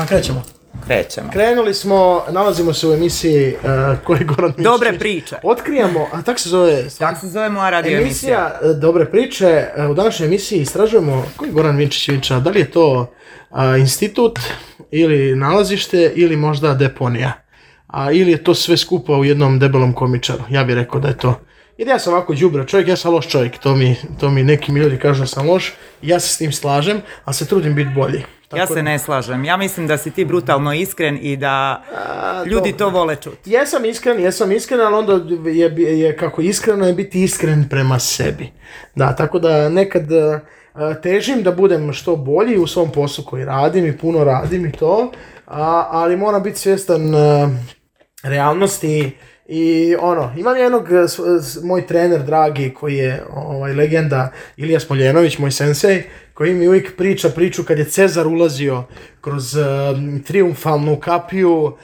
Krećemo. Krenuli smo, nalazimo se u emisiji koji Goran Mišić. Dobre priče. Otkrijamo, a tako se zove... Tako se zove moja radio emisija. Dobre priče. U današnjoj emisiji istražujemo koji Goran Vinčić Vinča. Da li je to institut ili nalazište ili možda deponija. Ili je to sve skupa u jednom debelom komičaru. Ja bih rekao da je to. Jer ja sam ovako đubre čovjek, ja sam loš čovjek. To mi neki ljudi kažu da sam loš. Ja se s tim slažem, a se trudim biti bolji. Ja se ne slažem. Ja mislim da si ti brutalno iskren i da ljudi to vole čuti. Jesam iskren, ali onda je kako iskreno je biti iskren prema sebi. Da, tako da nekad težim da budem što bolji u svom poslu koji radim i puno radim i to, ali moram biti svjestan realnosti. I imam jednog, moj trener dragi koji je legenda, Ilija Smoljenović, moj sensei, koji mi uvijek priča priču kad je Cezar ulazio kroz triumfalnu kapiju,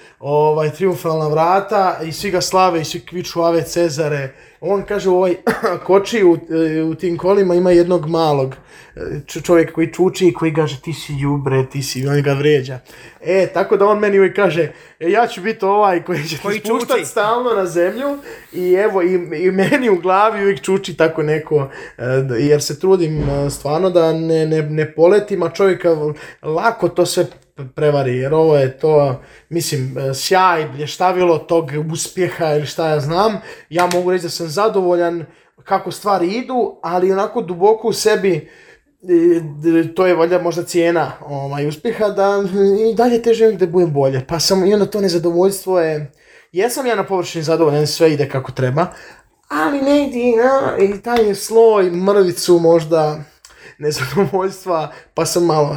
triumfalna vrata i svi ga slave i svi kviču Ave Cezare. On kaže u ovoj koči u tim kolima ima jednog malog čovjek koji čuči i koji kaže ti si đubre, on ga vrijeđa. Tako da on meni uvijek kaže ja ću biti ovaj koji će te spuštati stalno na zemlju i evo i meni u glavi uvijek čuči tako neko, jer se trudim stvarno da ne poletim, a čovjeka lako to sve prevari, jer ovo je to, mislim, sjaj, blještavilo tog uspjeha ili šta ja znam. Ja mogu reći da sam zadovoljan kako stvari idu, ali onako duboko u sebi to je valjda možda cijena uspjeha, da i dalje težim da budem bolje. Pa sam, i onda to nezadovoljstvo je, jesam ja na površini zadovoljan, sve ide kako treba, ali ne ide i taj sloj, mrvicu možda nezadovoljstva, pa sam malo,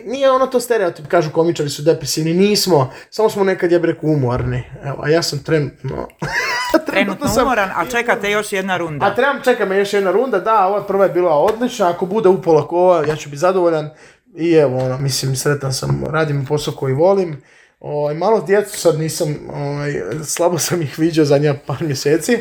nije to stereotip, kažu komičari su depresivni, nismo, samo smo nekad, ja bih rekao, umorni, evo, a ja sam trenutno umoran, a čekate još jedna runda. Čeka me još jedna runda, da, ova prva je bila odlična, ako bude upola kova, ja ću biti zadovoljan i evo, mislim, sretan sam, radim posao koji volim. Malo djecu sad nisam, slabo sam ih vidio zadnja par mjeseci,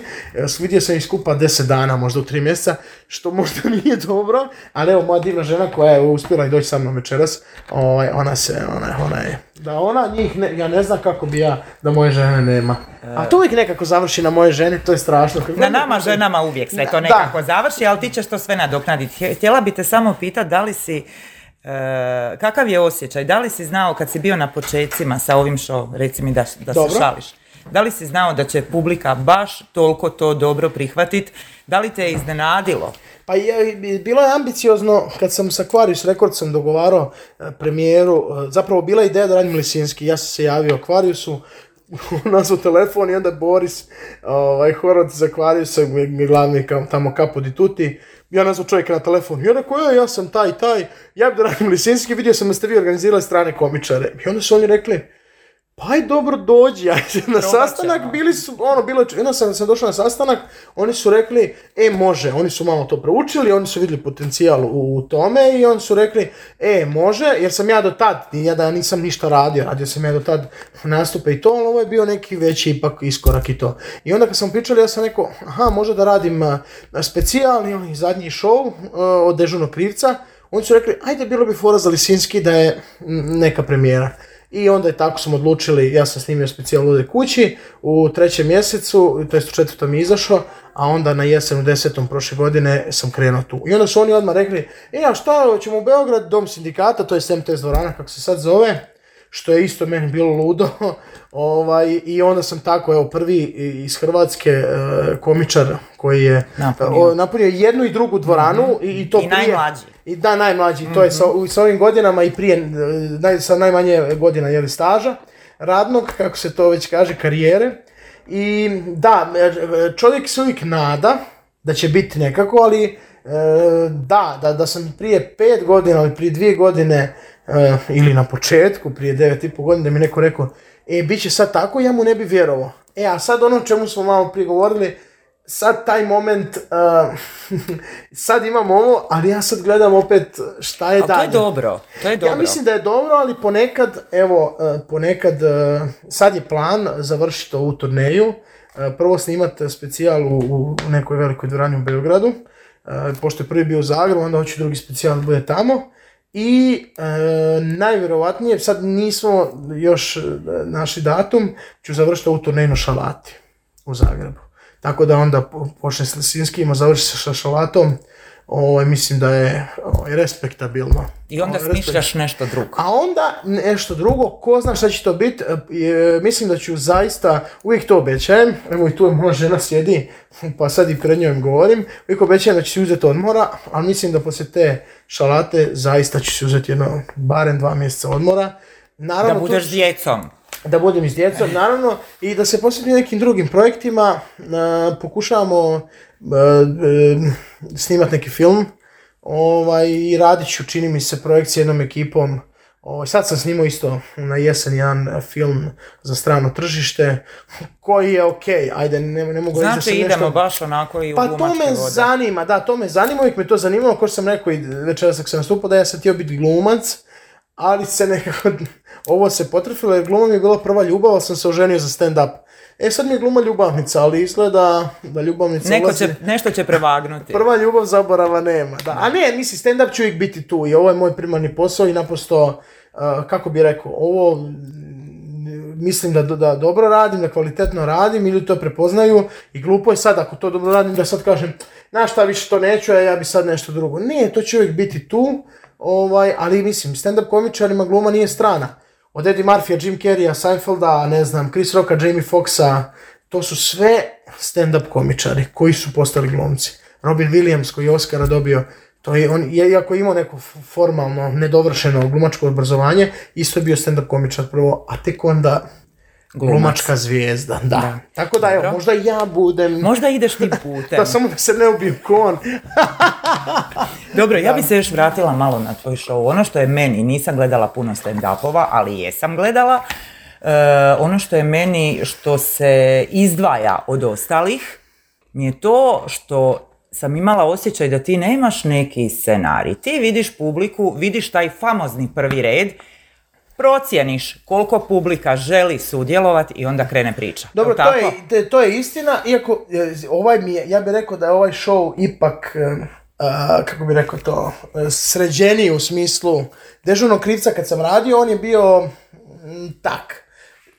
vidio sam ih skupa 10 dana, možda u 3 mjeseca, što možda nije dobro, ali evo moja divna žena koja je uspjela i doći sa mnom večeras, ona je, da ona njih, ja ne znam kako bi ja da moje žene nema, a to uvijek nekako završi na moje žene, to je strašno. Na nama ženama uvijek sve to nekako završi, ali ti ćeš to sve nadoknaditi. Htjela bi te samo pitati da li si, kakav je osjećaj, da li si znao kad si bio na počecima sa ovim show, reci mi da se šališ, da li si znao da će publika baš toliko to dobro prihvatiti, da li te je iznenadilo? Pa bilo je ambiciozno kad sam sa Aquarius Recordsom dogovarao premijeru, zapravo bila ideja da radim Lisinski, ja sam se javio Aquariusu, nazvao telefon i onda Boris Horvat za Aquariusa, glavni tamo Capo di Tutti, ja nazvao čovjeka na telefon i on rekao, ja sam taj, ja bi da radim Lisinski, vidio sam da ste vi organizirali strane komičare. I onda su oni rekli, pa aj dobro dođi, na sastanak bili su, onda sam došao na sastanak, oni su rekli, može, oni su malo to proučili, oni su vidjeli potencijal u tome i oni su rekli, može, jer sam ja do tad, ja nisam ništa radio sam ja do tad nastupe i to, ali ovo je bio neki veći ipak iskorak i to. I onda kad sam pričali, ja sam rekao, možda da radim specijalni zadnji show od Dežurnog krivca, oni su rekli, ajde bilo bi fora za Lisinski da je neka premijera. I onda je tako smo odlučili, ja sam snimio specijal Lude kući u 3. mjesecu, to jest u 4. mi izašao, a onda na jesen u 10. prošle godine sam krenuo tu. I onda su oni odmah rekli, a šta, ćemo u Beograd, Dom sindikata, to je MTS dvorana, kako se sad zove, što je isto meni bilo ludo. I onda sam tako, prvi iz Hrvatske komičar koji je napunio jednu i drugu dvoranu. I to prije, najmlađi. Najmlađi, to je sa ovim godinama i prije, sa najmanje godina staža radnog, kako se to već kaže, karijere. I da, čovjek se uvijek nada da će biti nekako, ali da sam prije 5 godina ili prije 2 godine ili na početku, prije 9,5 godina, da mi neko rekao, bit će sad tako, ja mu ne bi vjerovao. A sad ono čemu smo malo prigovorili, sad taj moment, sad imam ovo, ali ja sad gledam opet šta je dalje. To je dobro. Ja mislim da je dobro, ali ponekad, sad je plan završiti ovu turneju, prvo snimati specijal u nekoj velikoj dvorani u Beogradu, pošto je prvi bio u Zagrebu, onda hoću drugi specijal da bude tamo, I najvjerovatnije, sad nismo još našli datum, ću završiti ovu turneju Šalati u Zagrebu. Tako da onda počne s Lisinskijima, završi se sa Šalatom. Mislim da je respektabilno. I onda smišljaš nešto drugo. A onda nešto drugo, ko zna šta će to biti, mislim da ću zaista, uvijek to obećajem, evo i tu je moja žena sjedi, pa sad i pred njom govorim, uvijek obećajem da ću si uzeti odmora, ali mislim da poslije te Šalate zaista ću si uzeti barem 2 mjeseca odmora. Naravno, da budeš s djecom. Da budem s djecom, naravno, i da se posvetim nekim drugim projektima. Pokušavamo snimati neki film i radit ću, čini mi se, projekt s jednom ekipom. Sad sam snimao isto na jesen jedan film za strano tržište, koji je okej, ajde, ne mogu reći da sam idemo nešto... baš onako i u glumačke vode. Pa to me zanima, to me zanima, uvijek me to zanimalo, kao što sam rekao i večeras kad sam nastupao, da ja sam htio biti glumac, ali se nekako, ovo se potrefilo, jer gluma mi je bila prva ljubav, ali sam se oženio za stand-up. Sad mi je gluma ljubavnica, ali izgleda da ljubavnica nešto će prevagnuti. Prva ljubav zaborava nema. Da. A ne, mislim, stand-up ću uvijek biti tu i ovo je moj primarni posao i naprosto, kako bi rekao, ovo mislim da dobro radim, da kvalitetno radim, ili to prepoznaju i glupo je sad, ako to dobro radim, da sad kažem, znaš šta, više to neću, a ja bi sad nešto drugo. Ne, to će uvijek biti tu, ali mislim, stand-up komičarima gluma nije strana. Od Eddie Murphy, Jim Carreya, Seinfelda, ne znam, Chris Rocka, Jamie Foxxa, to su sve stand-up komičari koji su postali glumci. Robin Williams koji je Oscara dobio, to je on, iako je imao neko formalno nedovršeno glumačko obrazovanje, isto je bio stand-up komičar prvo, a tek onda glumačka zvijezda. Da. Tako da, evo, možda ja budem... Možda ideš tim putem. Da, samo da se ne ubijem kon. Dobro, ja bi se još vratila malo na tvoj show. Ono što je meni, nisam gledala puno stand-upova, ali jesam gledala. Ono što je meni, što se izdvaja od ostalih, mi je to što sam imala osjećaj da ti nemaš neki scenarij. Ti vidiš publiku, vidiš taj famozni prvi red, procijeniš koliko publika želi sudjelovati i onda krene priča. Dobro, to je istina, iako ja bih rekao da je ovaj show ipak, kako bih rekao to, sređeniji u smislu Dežurnog krivca kad sam radio, on je bio tak.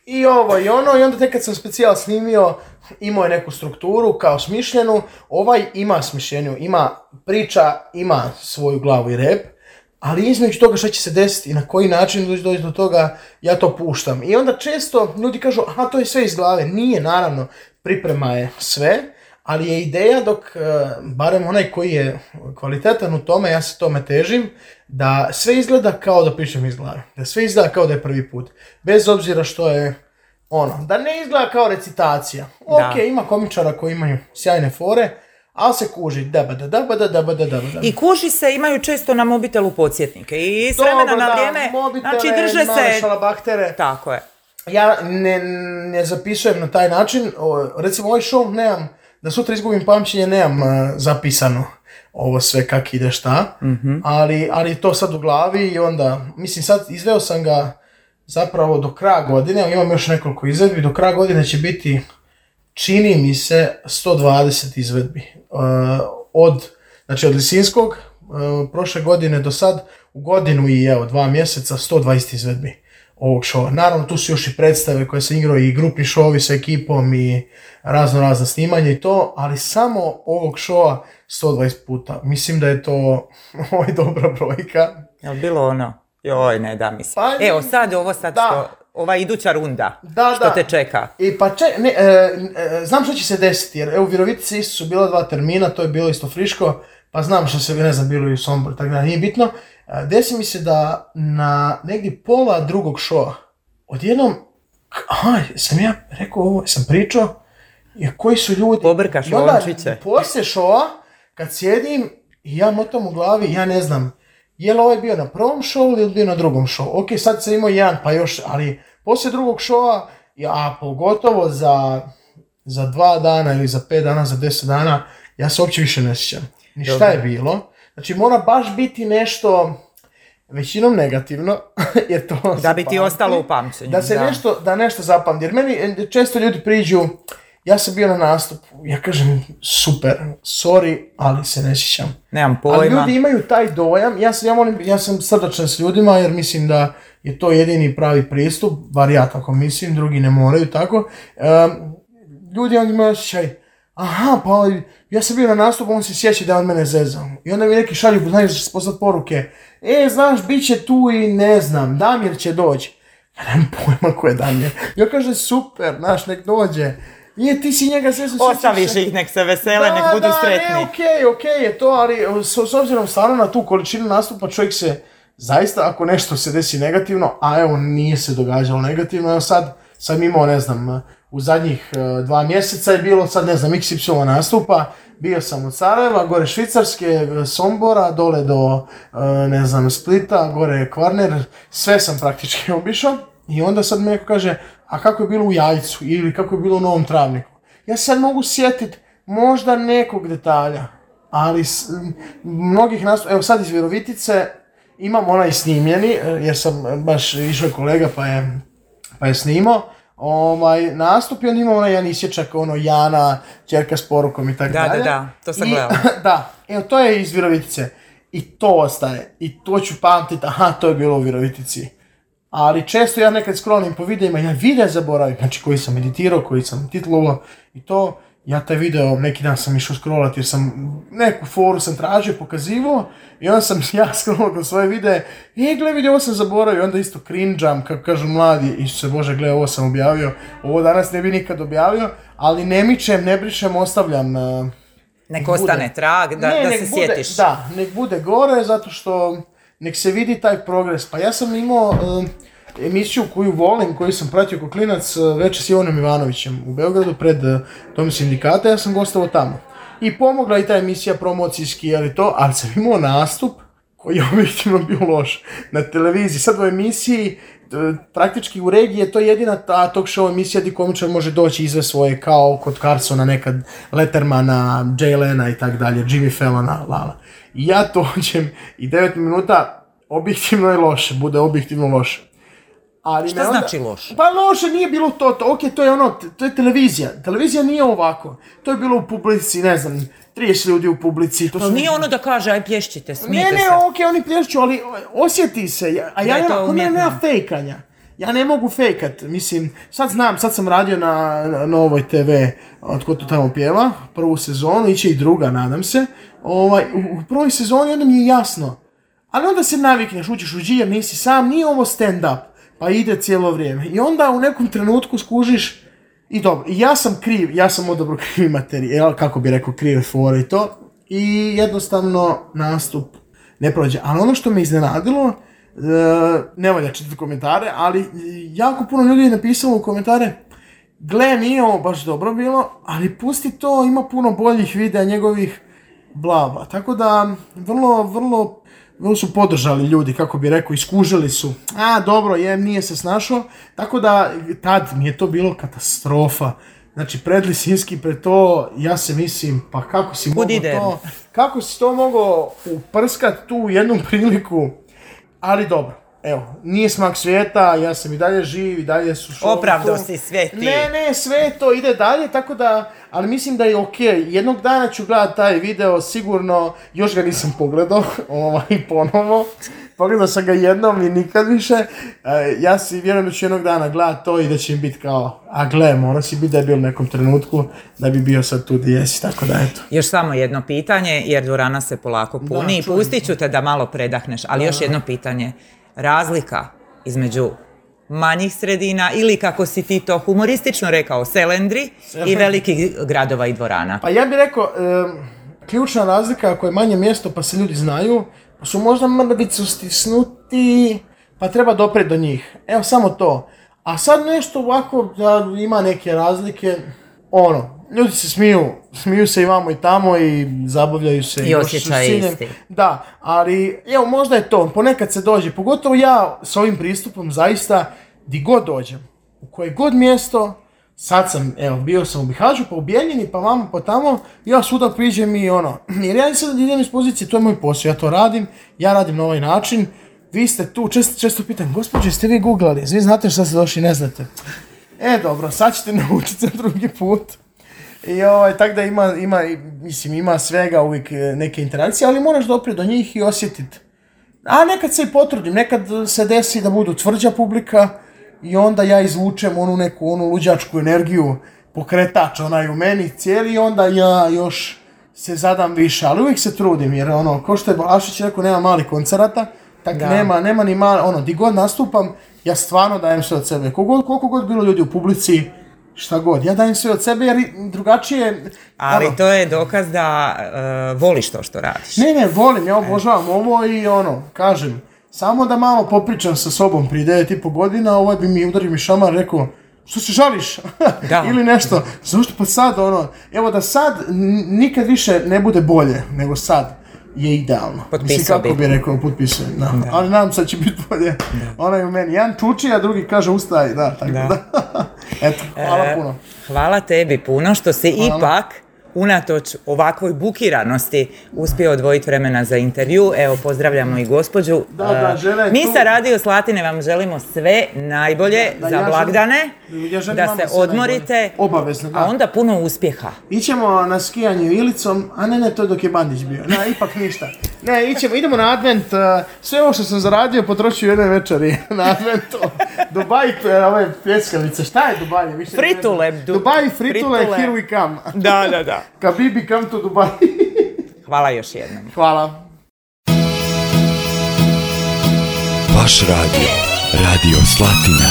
I ovo i ono, i onda tek kad sam specijal snimio, imao je neku strukturu kao smišljenu, ovaj ima smišljenju, ima priča, ima svoju glavu i rep, ali između toga što će se desiti i na koji način doći do toga, ja to puštam. I onda često ljudi kažu, aha, to je sve iz glave. Nije, naravno, priprema je sve, ali je ideja dok, barem onaj koji je kvalitetan u tome, ja se tome težim, da sve izgleda kao da pričam iz glave. Da sve izgleda kao da je prvi put. Bez obzira što je da ne izgleda kao recitacija. Ok, ima komičara koji imaju sjajne fore, ali se kuži dabada. I kuži se, imaju često na mobitelu podsjetnike i s vremena na vrijeme, znači drže se... Šalabahtere. Tako je. Ja ne zapisujem na taj način, recimo ovaj show nemam, da sutra izgubim pamćenje, nemam zapisano ovo sve kak ide šta, ali to sad u glavi i onda, mislim sad izveo sam ga zapravo do kraja godine, imam još nekoliko izvedbi, do kraja godine će biti, čini mi se, 120 izvedbi. Od Lisinskog, prošle godine do sad, u godinu i 2 mjeseca, 120 izvedbi ovog showa. Naravno, tu su još i predstave koje sam igrao i grupni showovi sa ekipom i razna snimanja i to, ali samo ovog showa 120 puta. Mislim da je to dobra brojka. Je li bilo ono? Joj, ne da mi se. Evo sad što, ova iduća runda, što te čeka. Znam što će se desiti, jer u Virovitici isto su bila 2 termina, to je bilo isto friško, pa znam što se, ne znam, bilo i u Somboru, tako da nije bitno. Desi mi se da na negdje pola drugog showa, odjednom, sam ja rekao ovo, sam pričao, koji su ljudi... Pobrkaš lončiće. Poslije showa, kad sjedim i ja motam u glavi, ja ne znam, je li ovaj bio na prvom showu ili bio na drugom showu? Ok, sad sam imao jedan, pa još, ali poslije drugog showa, a pogotovo za 2 dana ili za 5 dana, za 10 dana, ja se uopće više ne sjećam. Ni šta je bilo. Znači mora baš biti nešto većinom negativno, jer to da bi ti ostalo u pamćenju. Da nešto zapamti. Jer meni često ljudi priđu, Ja sam bio na nastupu, ja kažem super, sorry, ali se ne sjećam. Nemam pojma. Ali ljudi imaju taj dojam, ja sam srdačan s ljudima jer mislim da je to jedini pravi pristup, bar ja tako mislim, drugi ne moraju tako. Ljudi onda imaju osjećaj, aha, pa ja sam bio na nastupu, on se sjeća da on mene zezao. I onda mi neki šalju, znaš da će poslati poruke, znaš, bit će tu i ne znam, Damir će doći. Ja nemam pojma ko je Damir. Ja kažem, super, znaš, nek dođe. Nije, ti si njega sve ostaviš ih, nek se vesele, nek budu sretni. Okej je to, ali s obzirom stvarno na tu količinu nastupa čovjek se zaista, ako nešto se desi negativno, a evo nije se događalo negativno, evo sad sam imao, ne znam, u zadnjih 2 mjeseca je bilo, sad ne znam, XY nastupa, bio sam od Sarajeva, gore Švicarske, Sombora, dole do, ne znam, Splita, gore Kvarner, sve sam praktički obišao. I onda sad mi neko kaže, a kako je bilo u Jajcu ili kako je bilo u Novom Travniku? Ja sad mogu sjetiti možda nekog detalja, ali mnogih nastupa, evo sad iz Virovitice imam onaj snimljeni, jer sam baš išao kolega pa je snimao, nastup i on ima onaj jedan isječak, Jana, ćerka s porukom i tako dalje. Da, to sam gledala. Da, evo to je iz Virovitice i to ostaje i to ću pamtiti, aha, to je bilo u Virovitici. Ali često ja nekad scrollim po videima, ja video zaboravim, znači koji sam editirao, koji sam titlovao i to, ja taj video, neki dan sam išao scrollati jer sam neku foru sam tražio, pokazivao i onda sam ja scrollao kroz svoje videe, gle vidi, ovo sam zaboravio, onda isto cringe-am, kako kažu mladi, Isuse Bože, gle, ovo sam objavio, ovo danas ne bi nikad objavio, ali ne mičem, ne brišem, ostavljam. Nek ostane trag, da se sjetiš. Da, nek bude gore, zato što nek se vidi taj progres. Pa ja sam imao emisiju koju volim, koju sam pratio kao klinac, Večer s Ivanom Ivanovićem u Beogradu pred Dom sindikata, ja sam gostovao tamo. I pomogla i ta emisija promocijski, ali sam imao nastup koji je objektivno bio loš na televiziji. Sad u emisiji, praktički u regiji je to jedina ta talk show emisija gdje komičar može doći izve svoje, kao kod Carsona, nekad Lettermana, Jay Lena i tak dalje, Jimmy Fallona, lala. I ja dođem i 9 minuta objektivno je loše, bude objektivno loše. Ali šta znači loše? Pa loše nije bilo to, ok, to je televizija. Televizija nije ovako. To je bilo u publici, ne znam, 30 ljudi u publici. To ali nije ono da kaže, aj plješćite, smijete se. Ne, ok, oni plješću, ali osjeti se. A ja nema fejkanja. Ja ne mogu fejkat, mislim, sad sam radio na Novoj TV, Tko to tamo pjeva, prvu sezonu, iće i druga, nadam se. U prvoj sezoni onda mi je jasno. Ali onda se navikneš, učiš u džir, nisi sam, nije ovo stand-up. Pa ide cijelo vrijeme. I onda u nekom trenutku skužiš i dobro, ja sam odobro krivi materijal, kako bi rekao, krive fore i to. I jednostavno nastup ne prođe. Ali ono što me iznenadilo, ne valja čitati komentare, ali jako puno ljudi je napisalo u komentare, gle, nije ovo baš dobro bilo, ali pusti to, ima puno boljih videa njegovih, bla bla. Tako da, vrlo su podržali ljudi, kako bi rekao, iskužili su. Dobro, nije se snašao. Tako da, tad mi je to bilo katastrofa. Znači, pred Lisinski, pred to, ja se mislim, pa kako si to mogao uprskat tu u jednu priliku. Ali dobro, evo, nije smak svijeta, ja sam i dalje živ, i dalje su šovi. Opravdao si sve ti. Ne, sve to ide dalje, tako da, ali mislim da je okej. Jednog dana ću gledati taj video, sigurno, još ga nisam pogledao, ponovo. Pogledao sam ga jednom i nikad više. Ja si vjerujem da ću jednog dana gledati to i da će mi biti kao, mora si biti da je bio u nekom trenutku, da bi bio sad tu gdje jesi, tako da eto. Još samo jedno pitanje, jer dvorana se polako puni i pustit ću te da malo predahneš, ali još jedno pitanje. Razlika između manjih sredina ili, kako si ti to humoristično rekao, selendri i velikih gradova i dvorana? Pa ja bih rekao, ključna razlika, ako je manje mjesto pa se ljudi znaju, pa su možda mrvicu stisnuti, pa treba doprijeti do njih. Evo, samo to. A sad nešto ovako, da ima neke razlike, ljudi se smiju se i vamo i tamo i zabavljaju se. I osjećaj isti. Da, ali evo, možda je to, ponekad se dođe, pogotovo ja s ovim pristupom zaista, di god dođem, u koje god mjesto, sad sam, bio sam u Bihaću, pa u Bijeljini, pa vamo, pa tamo, ja svuda priđem i jer ja sad idem iz pozicije, to je moj posao, ja to radim, ja radim na ovaj način, vi ste tu, često pitam, gospođe, ste vi googlali, vi znate šta ste došli, ne znate. Dobro, sad ćete naučiti za drugi put. I tako da ima svega uvijek neke interakcije, ali moraš doprijeti do njih i osjetiti. A nekad se i potrudim, nekad se desi da budu tvrđa publika i onda ja izvučem onu luđačku energiju, pokretač onaj u meni cijeli i onda ja još se zadam više, ali uvijek se trudim jer ko što je Balašić rekao, nema malih koncerata, tako nema ni mali, di god nastupam, ja stvarno dajem sve od sebe. Koliko god bilo ljudi u publici, šta god, ja dajem sve od sebe jer drugačije... Ali to je dokaz da voliš to što radiš. Ne, volim, ja obožavam ovo i kažem, samo da malo popričam sa sobom prije 9,5 godina, udari mi šamar, rekao, što se žališ? Ili nešto. Zašto pa sad, evo da sad nikad više ne bude bolje nego sad je idealno. Potpisao kako bi rekao, potpisujem. Ali nadam se da će biti bolje. Ona je u meni. Jedan čuči, a drugi kaže ustaj. Tako da. Eto, hvala puno. Hvala tebi puno što si ipak unatoč ovakvoj bukiranosti uspio odvojiti vremena za intervju. Evo, pozdravljamo i gospođu. Mi sa Radio Slatine vam želimo sve najbolje za blagdane, da se odmorite, obavezno, a onda puno uspjeha. Ićemo na skijanje Ilicom, a ne, to dok je Bandić bio. Ipak ništa. Ne, idemo na advent, sve ovo što sam zaradio potrošio jedne večeri na adventu. Dubai, ove pljeskavice, šta je Dubai? Fritule. Dubai, fritule, here we come. Da. Kabibi, come to Dubai. Hvala još jednom. Hvala. Vaš radio, Radio Slatina.